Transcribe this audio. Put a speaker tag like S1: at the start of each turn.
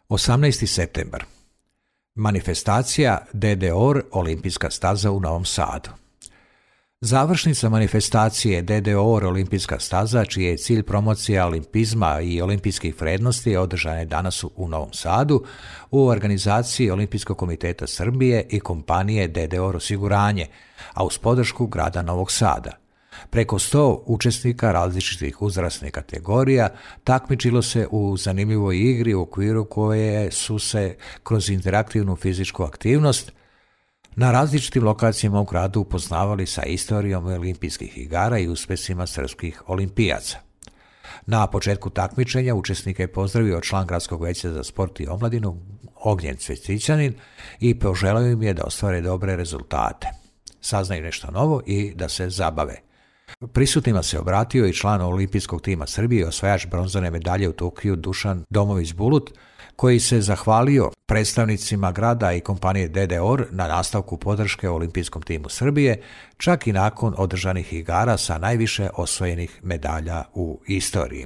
S1: 18. septembar. Manifestacija DDOR Olimpijska staza u Novom Sadu. Završnica manifestacije DDOR Olimpijska staza, čiji je cilj promocija olimpizma i olimpijskih vrednosti, održana je danas u Novom Sadu u organizaciji Olimpijskog komiteta Srbije i kompanije DDOR osiguranje, a uz podršku grada Novog Sada. Preko 100 učesnika različitih uzrasnih kategorija takmičilo se u zanimljivoj igri u okviru koje su se kroz interaktivnu fizičku aktivnost na različitim lokacijama u gradu upoznavali sa istorijom olimpijskih igara i uspjesima srpskih olimpijaca. Na početku takmičenja učesnike je pozdravio član Gradskog veća za sport i omladinu Ognjen Cvjetićanin i poželio im je da ostvare dobre rezultate, saznaju nešto novo i da se zabave. Prisutnima se obratio i član olimpijskog tima Srbije i osvajač bronzane medalje u Tokiju Dušan Domović-Bulut, koji se zahvalio predstavnicima grada i kompanije DDOR na nastavku podrške olimpijskom timu Srbije, čak i nakon održanih igara sa najviše osvojenih medalja u istoriji.